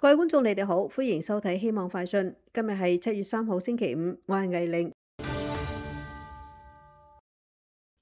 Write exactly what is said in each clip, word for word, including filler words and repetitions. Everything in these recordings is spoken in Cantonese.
各位觀眾，你哋好，歡迎收睇《希望快訊》。今日係七月三號星期五，我係魏玲。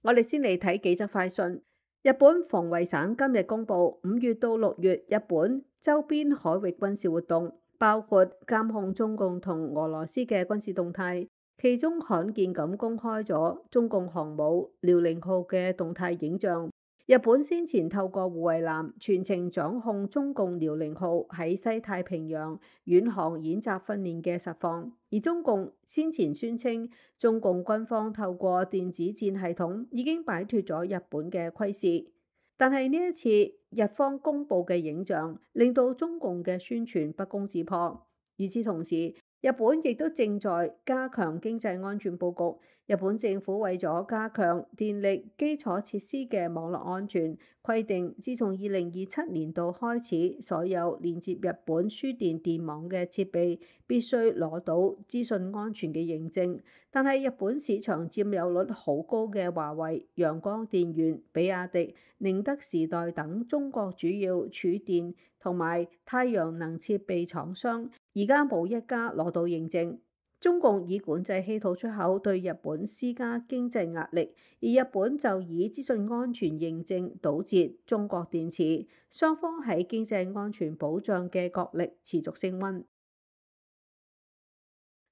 我哋先嚟睇幾則快訊。日本防衛省今日公布，五月到六月日本周邊海域軍事活動，包括監控中共同俄羅斯嘅軍事動態，其中罕見咁公開咗中共航母遼寧號嘅動態影像。日本先前透過護衛艦全程掌控中共遼寧號喺西太平洋遠航演習訓練嘅實況，而中共先前宣稱中共軍方透過電子戰系統已經擺脫咗日本嘅窺視。但係呢一次日方公布嘅影像令到中共嘅宣傳不攻自破。與此同時，日本亦都正在加強經濟安全佈局。日本政府為咗加強電力基礎設施嘅網絡安全，規定自從二零二七年度開始，所有連接日本輸電電網嘅設備必須攞到資訊安全嘅認證。但係日本市場佔有率好高嘅華為、陽光電源、比亞迪、寧德時代等中國主要儲電同埋太陽能設備廠商，而家冇一家攞到認證。中共以管制稀土出口對日本施加經濟壓力，而日本就以資訊安全認證堵截中國電池，雙方喺經濟安全保障嘅角力持續升溫。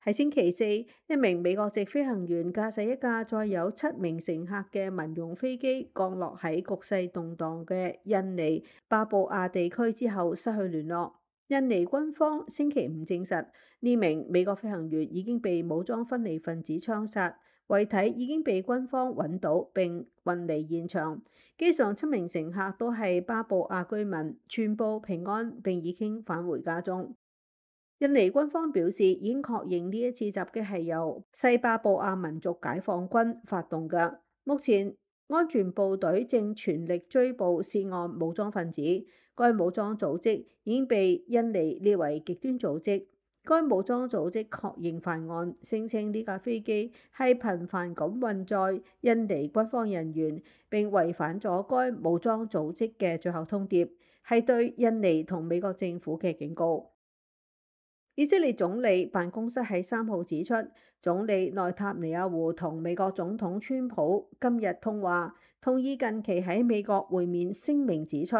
喺星期四，一名美國籍飛行員駕駛一架載有七名乘客嘅民用飛機降落喺局勢動盪嘅印尼巴布亞地區之後失去聯絡。印尼軍方星期五證實，呢名美國飛行員已經被武裝分離分子槍殺，遺體已經被軍方揾到並運離現場。機上七名乘客都係巴布亞居民，全部平安並已經返回家中。印尼軍方表示，已經確認呢一次襲擊係由西巴布亞民族解放軍發動嘅。目前安全部隊正全力追捕涉案武裝分子。該武裝組織已經被印尼列為極端組織。該武裝組織確認犯案，聲稱呢架飛機係頻繁咁運載印尼軍方人員，並違反咗該武裝組織嘅最後通牒，係對印尼同美國政府嘅警告。以色列總理辦公室喺三號指出，總理內塔尼亞胡同美國總統川普今日通話，同意近期喺美國會面。聲明指出，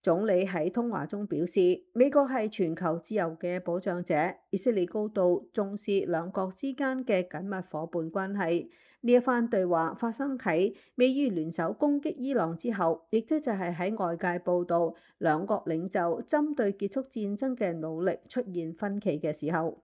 總理喺通話中表示，美國係全球自由嘅保障者，以色列高度重視兩國之間嘅緊密夥伴關係。呢一番對話發生喺美伊聯手攻擊伊朗之後，亦即就係喺外界報道兩國領袖針對結束戰爭嘅努力出現分歧嘅時候。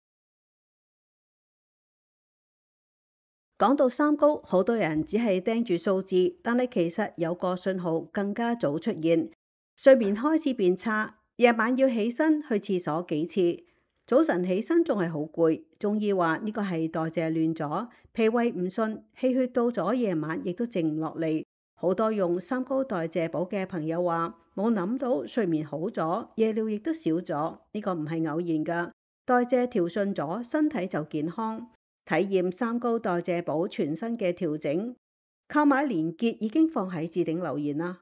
講到三高，好多人只係盯住數字，但係其實有個信號更加早出現。睡眠開始變差，夜晚要起身去廁所幾次，早晨起身仲係好攰。中醫話呢個係代謝亂咗，脾胃唔順，氣血到咗夜晚亦都靜唔落嚟。好多用三高代謝補嘅朋友話冇諗到睡眠好咗，夜尿亦都少咗，呢個唔係偶然噶。代謝調順咗，身體就健康。體驗三高代謝補全新嘅調整，購買連結已經放喺置頂留言啦。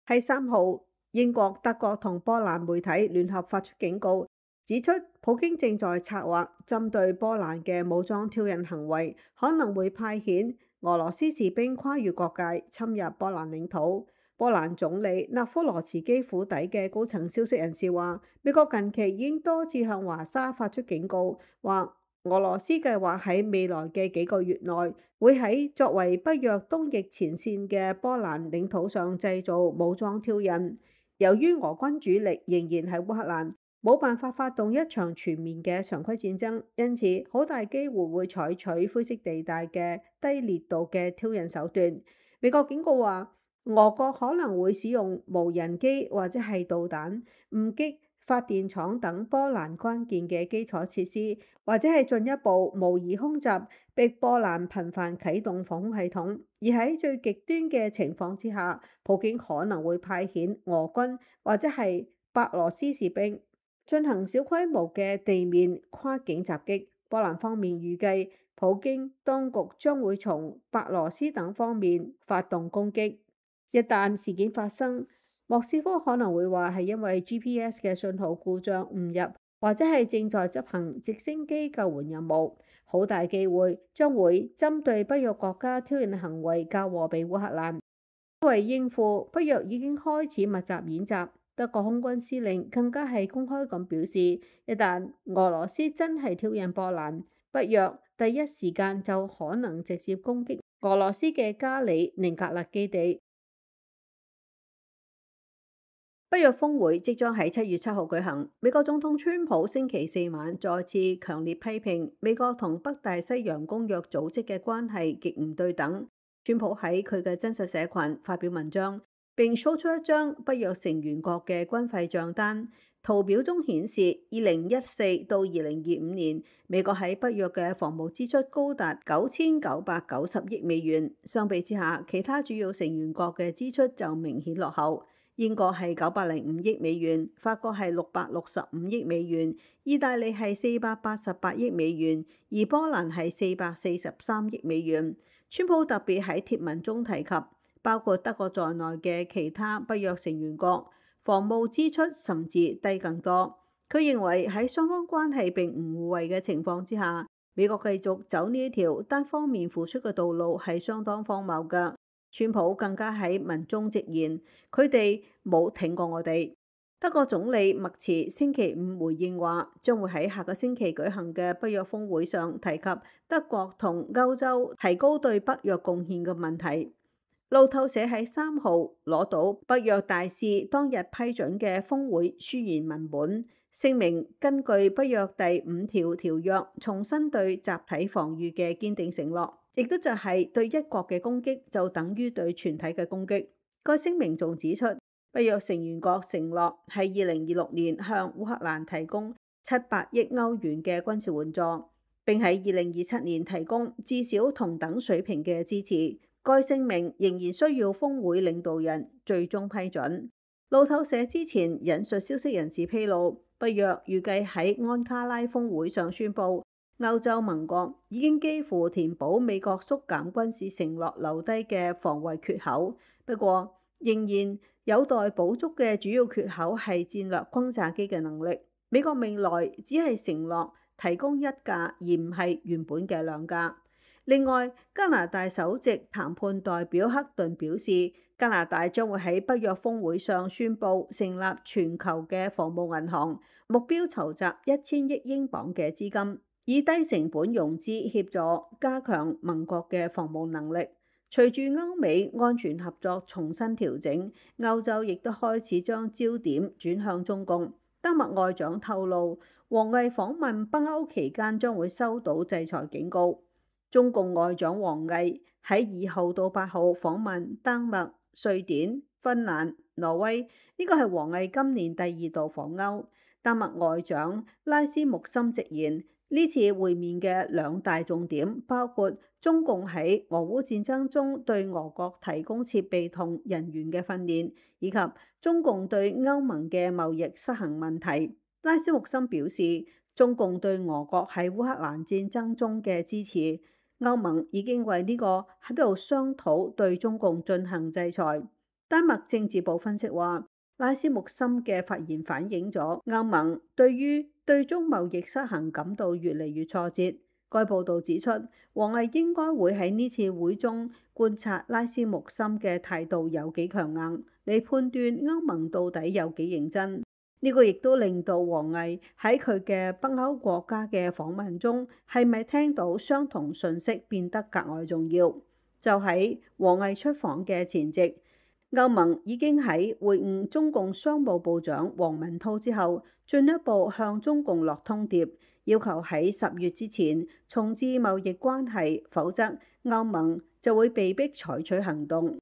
喺三號，英國、德國同波蘭媒體聯合發出警告，指出普京正在策劃針對波蘭嘅武裝挑釁行為，可能會派遣俄羅斯士兵跨越國界侵入波蘭領土。波蘭總理納夫羅茨基府邸嘅高層消息人士話，美國近期已經多次向華沙發出警告，話俄羅斯計劃喺未來嘅幾個月內，會喺作為北約東翼前線嘅波蘭領土上製造武裝挑釁。由於俄軍主力仍然喺烏克蘭，冇辦法發動一場全面嘅常規戰爭，因此好大機會會採取灰色地帶嘅低烈度嘅挑釁手段。美國警告話，俄國可能會使用無人機或者係導彈誤擊發電廠等波蘭關鍵嘅基礎設施，或者係進一步模擬空襲，逼波蘭頻繁啟動防空系統。而喺最極端嘅情況之下，普京可能會派遣俄軍或者係白羅斯士兵進行小規模嘅地面跨境襲擊。波蘭方面預計，普京當局將會從白羅斯等方面發動攻擊。一旦事件發生，莫斯科可能會話係因為 G P S 嘅信號故障誤入，或者係正在執行直升機救援任務，好大機會將會針對北約國家挑釁行為交禍俾烏克蘭。為應付北約已經開始密集演習，德國空軍司令更加係公開咁表示，一旦俄羅斯真係挑釁波蘭，北約第一時間就可能直接攻擊俄羅斯嘅加里寧格勒基地。北約峰會即將喺七月七號舉行，美國總統川普星期四晚再次強烈批評美國同北大西洋公約組織嘅關係極唔對等。川普喺佢嘅真實社群發表文章，並 show 出一張北約成員國嘅軍費賬單，圖表中顯示二零一四到二零二五年美國喺北約嘅防務支出高達九千九百九十億美元，相比之下，其他主要成員國嘅支出就明顯落後。英國係九百零五億美元，法國係六百六十五億美元，意大利係四百八十八億美元，而波蘭係四百四十三億美元。川普特別喺貼文中提及，包括德國在內嘅其他北約成員國防務支出甚至低更多。佢認為喺雙方關係並唔互惠嘅情況之下，美國繼續走呢一條單方面付出嘅道路係相當荒謬㗎。川普更加喺文中直言，佢哋冇挺過我哋。德國總理默茨星期五回應話，將會喺下個星期舉行嘅北約峰會上提及德國同歐洲提高對北約貢獻嘅問題。路透社喺三號攞到北約大使當日批准嘅峰會書言文本，聲明根據北約第五條條約重申對集體防禦嘅堅定承諾，亦都就係對一國嘅攻擊就等於對全體嘅攻擊。該聲明仲指出，北約成員國承諾喺二零二六年向烏克蘭提供七百億歐元嘅軍事援助，並喺二零二七年提供至少同等水平嘅支持。該聲明仍然需要峰會領導人最終批准。路透社之前引述消息人士披露，北約預計喺安卡拉峰會上宣布，歐洲盟國已經幾乎填補美國縮減軍事承諾留低嘅防衛缺口，不過仍然有待補足嘅主要缺口係戰略轟炸機嘅能力。美國未來只係承諾提供一架，而唔係原本嘅兩架。另外，加拿大首席談判代表克頓表示，加拿大將會喺北約峰會上宣布成立全球嘅防務銀行，目標籌集一千億英鎊嘅資金，以低成本融資協助加強盟國嘅防務能力。隨住歐美安全合作重新調整，歐洲亦都開始將焦點轉向中共。丹麥外長透露，王毅訪問北歐期間將會收到制裁警告。中共外長王毅喺二號到八號訪問丹麥、瑞典、芬蘭、挪威，呢個係王毅今年第二度訪歐。丹麥外長拉斯穆森直言，呢次會面嘅兩大重點包括中共喺俄烏戰爭中對俄國提供設備同人員嘅訓練，以及中共對歐盟嘅貿易失衡問題。拉斯穆森表示，中共對俄國喺烏克蘭戰爭中嘅支持，歐盟已經為呢個喺度商討對中共進行制裁。丹麥政治部分析話，拉斯穆森嘅發言反映咗歐盟對於對中貿易失衡感到越嚟越挫折。該報導指出，王毅應該會喺呢次會中觀察拉斯穆森嘅態度有幾強硬，嚟判斷歐盟到底有幾認真。呢個亦都令到王毅喺佢嘅北歐國家嘅訪問中，係咪聽到相同訊息變得格外重要。就喺王毅出訪嘅前夕，歐盟已經喺會晤中共商務部長王文濤之後，進一步向中共落通牒，要求喺十月之前重置貿易關係，否則歐盟就會被迫採取行動。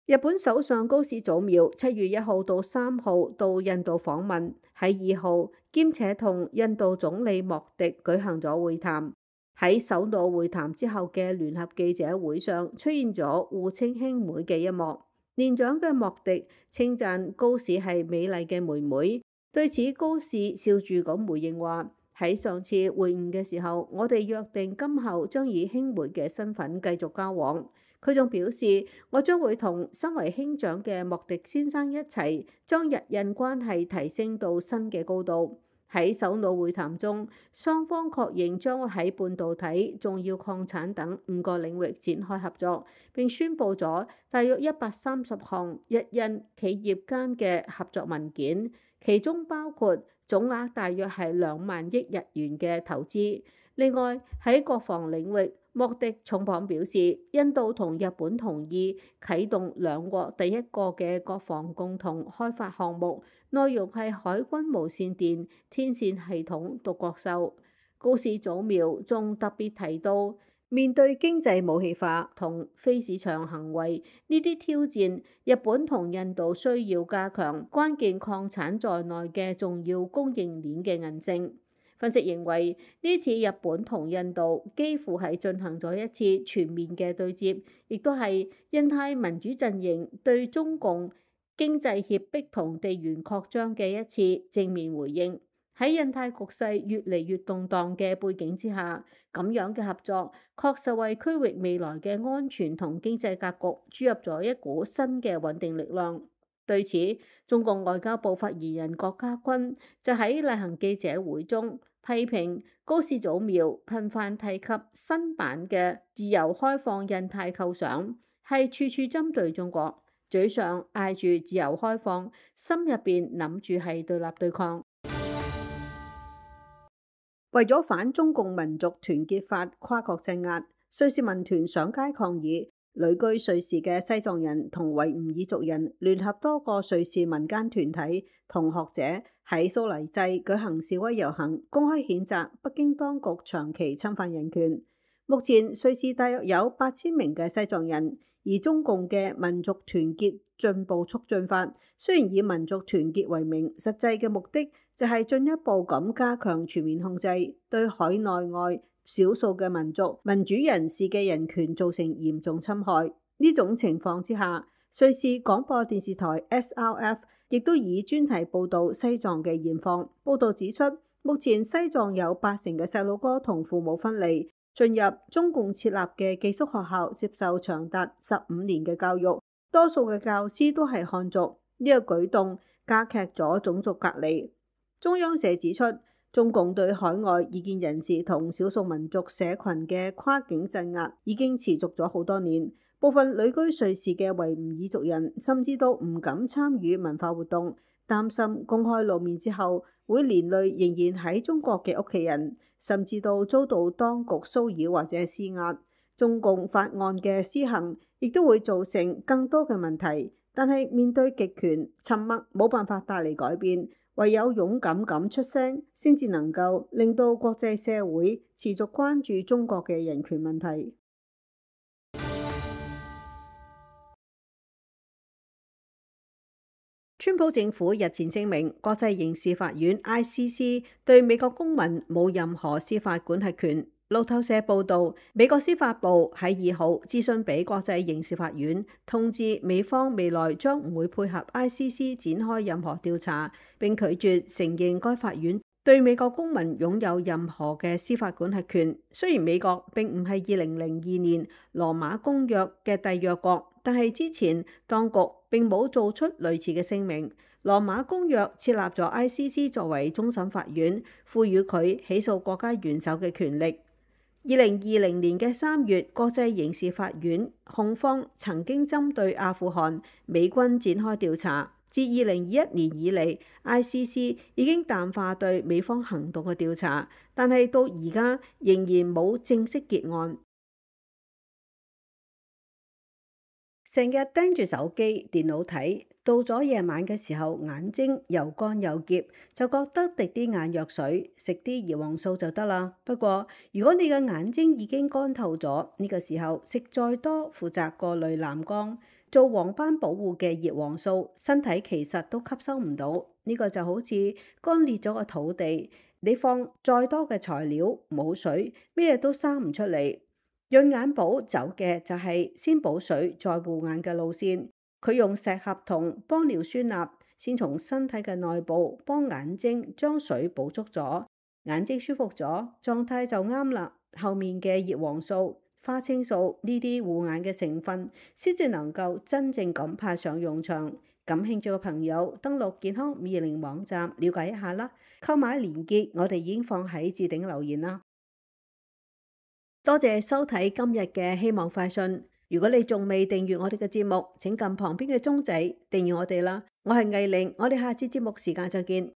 日本首相高市早苗七月一號到三號到印度訪問，喺二號兼且同印度總理莫迪舉行咗會談。喺首腦會談之後嘅聯合記者會上，出現咗互稱兄妹嘅一幕。年長嘅莫迪稱讚高市係美麗嘅妹妹，對此高市笑住咁回應話：喺上次會晤嘅時候，我哋約定今後將以兄妹嘅身份繼續交往。佢仲表示，我將會同身為兄長嘅莫迪先生一齊，將日印關係提升到新嘅高度。喺首腦會談中，雙方確認將會喺半導體、重要礦產等五個領域展開合作，並宣布咗大約一百三十項日印企業間嘅合作文件，其中包括總額大約係兩萬億日元嘅投資。另外喺國防領域，莫迪重磅表示，印度同日本同意啟動兩國第一個嘅國防共同開發項目，內容係海軍無線電天線系統獨角獸。高市早苗仲特別提到，面對經濟武器化同非市場行為呢啲挑戰，日本同印度需要加強關鍵礦產在內嘅重要供應鏈嘅韌性。分析認為，呢次日本同印度幾乎係進行咗一次全面嘅對接，亦都係印太民主陣營對中共經濟脅迫同地緣擴張嘅一次正面回應。喺印太局勢越嚟越動盪嘅背景之下，咁樣嘅合作確實為區域未來嘅安全同經濟格局注入咗一股新嘅穩定力量。對此，中共外交部發言人郭家軍就喺例行記者會中批評高市早苗頻繁提及新版嘅自由開放印太構想，係處處針對中國，嘴上嗌住自由開放，心入邊諗住係對立對抗。為咗反中共民族團結法跨國鎮壓，瑞士民團上街抗議。旅居瑞士嘅西藏人同維吾爾族人聯合多個瑞士民間團體同學者喺蘇黎世舉行示威遊行，公開譴責北京當局長期侵犯人權。目前瑞士大約有八千名嘅西藏人，而中共嘅民族團結進步促進法雖然以民族團結為名，實際嘅目的就係進一步咁加強全面控制，對海內外少數嘅民族、民主人士嘅人權造成嚴重侵害。呢種情況之下，瑞士廣播電視台 S R F 亦都以專題報導西藏嘅現況。報導指出，目前西藏有八成嘅細路哥同父母分離，進入中共設立嘅寄宿學校，接受長達十五年嘅教育，多數嘅教師都係漢族。呢、這個舉動加劇咗種族隔離。中央社指出，中共對海外異見人士同少數民族社群嘅跨境鎮壓已經持續咗好多年，部分旅居瑞士嘅維吾爾族人甚至都唔敢參與文化活動，擔心公開露面之後會連累仍然喺中國嘅屋企人，甚至到遭到當局騷擾或者施壓。中共法案嘅施行亦都會造成更多嘅問題，但係面對極權，沉默冇辦法帶嚟改變。唯有勇敢咁出聲，先至能夠令到國際社會持續關注中國嘅人權問題。川普政府日前證明，國際刑事法院 I C C 對美國公民冇任何司法管轄權。路透社報導，美國司法部喺二號諮詢俾國際刑事法院，通知美方未來將唔會配合 I C C 展開任何調查，並拒絕承認該法院對美國公民擁有任何嘅司法管轄權。雖然美國並唔係二零零二年羅馬公約嘅締約國，但係之前當局並冇做出類似嘅聲明。羅馬公約設立咗 I C C 作為終審法院，賦予佢起訴國家元首嘅權力。二零二零年嘅三月，國際刑事法院控方曾經針對阿富汗美軍展開調查。自二零二一年以嚟 ，I C C 已經淡化對美方行動嘅調查，但係到而家仍然冇正式結案。成日盯住手機、電腦睇，到咗夜晚嘅時候，眼睛又乾又澀，就覺得滴啲眼藥水，食啲葉黃素就得啦。不過，如果你嘅眼睛已經乾透咗，呢個時候食再多負責過濾藍光、做黃斑保護嘅葉黃素，身體其實都吸收唔到。呢個就好似乾裂咗個土地，你放再多嘅材料，冇水，咩都生唔出嚟。潤眼寶走嘅就係先補水再護眼嘅路線，佢用石合同幫尿酸鈉，先從身體嘅內部幫眼睛將水補足咗，眼睛舒服咗，狀態就啱啦。後面嘅葉黃素花青素呢啲護眼嘅成分，先至能夠真正咁派上用場。感興趣嘅朋友登錄健康五二零網站了解一下啦。購買連結我哋已經放喺置頂留言啦。多謝收睇今日嘅希望快訊。如果你仲未訂閱我哋嘅節目，請撳旁邊嘅鐘仔訂閱我哋啦。我係藝玲，我哋下次節目時間再見。